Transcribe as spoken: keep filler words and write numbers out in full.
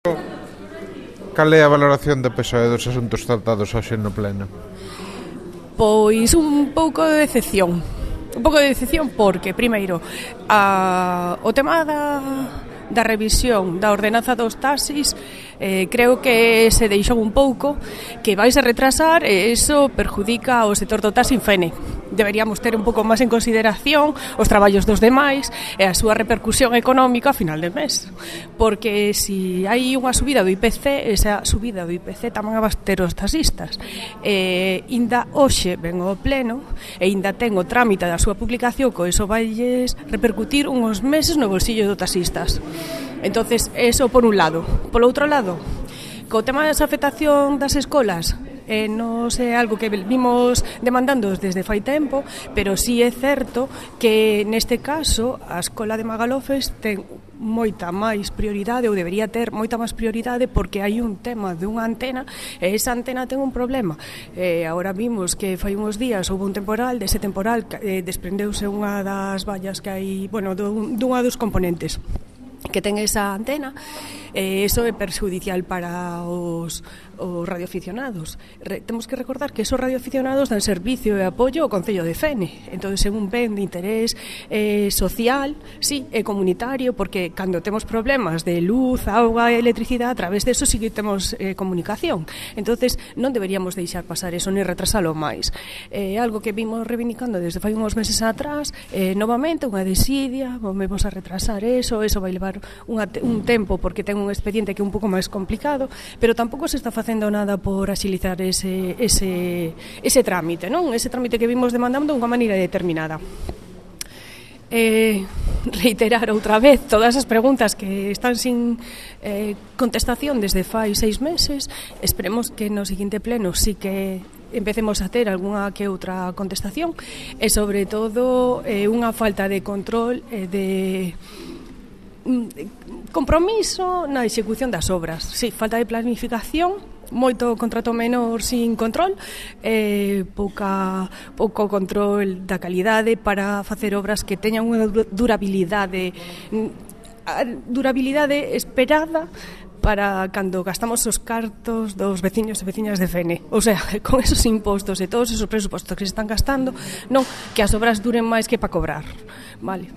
Cal é a valoración do P S O E dos asuntos tratados hoxe no pleno? Pois un pouco de decepción. Un pouco de decepción porque, primeiro, a, o tema da, da revisión da ordenanza dos taxis eh, creo que se deixou un pouco, que vais a retrasar e iso perjudica ao sector do taxi en Fene. Deberíamos ter un pouco máis en consideración os traballos dos demais e a súa repercusión económica a final de mes, porque se si hai unha subida do I P C, esa subida do I P C tamén a bater os taxistas. E inda hoxe ven ao pleno e inda ten o trámite da súa publicación, co iso vailles repercutir uns meses no bolsillo dos taxistas. Entonces, eso por un lado. Por outro lado, co tema da afectación das escolas, eh, non é algo que vimos demandando desde fai tempo, pero sí é certo que neste caso a escola de Magalofes ten moita máis prioridade, ou debería ter moita máis prioridade, porque hai un tema de unha antena e esa antena ten un problema. Eh, agora vimos que fai uns días houve un temporal, dese temporal eh, desprendeuse unha das vallas que hai, bueno, dunha dos componentes que ten esa antena, e iso é perjudicial para os, os radioaficionados. Re, temos que recordar que esos radioaficionados dan servicio e apoio ao Concello de Fene, entón é un ben de interés eh, social, sí, e comunitario, porque cando temos problemas de luz, auga e electricidade, a través de eso sí que temos eh, comunicación. Entonces non deberíamos deixar pasar eso ni retrasalo máis. É eh, algo que vimos reivindicando desde fai uns meses atrás, eh, novamente unha desidia, vamos a retrasar eso, eso vai levar unha, un tempo porque ten un expediente que é un pouco máis complicado, pero tampouco se está facendo nada por axilizar ese, ese, ese trámite, non? Ese trámite que vimos demandando de unha maneira determinada. Eh, reiterar outra vez todas as preguntas que están sin eh, contestación desde fai seis meses. Esperemos que no seguinte pleno sí que empecemos a ter algunha que outra contestación e sobre todo eh, unha falta de control e eh, de compromiso na execución das obras. Sí, falta de planificación, moito contrato menor sin control, eh, pouca, pouco control da calidade para facer obras que teñan unha durabilidade durabilidade esperada para cando gastamos os cartos dos veciños e veciñas de Fene. O sea, con esos impostos e todos esos presupostos que se están gastando, non que as obras duren máis que para cobrar. Vale.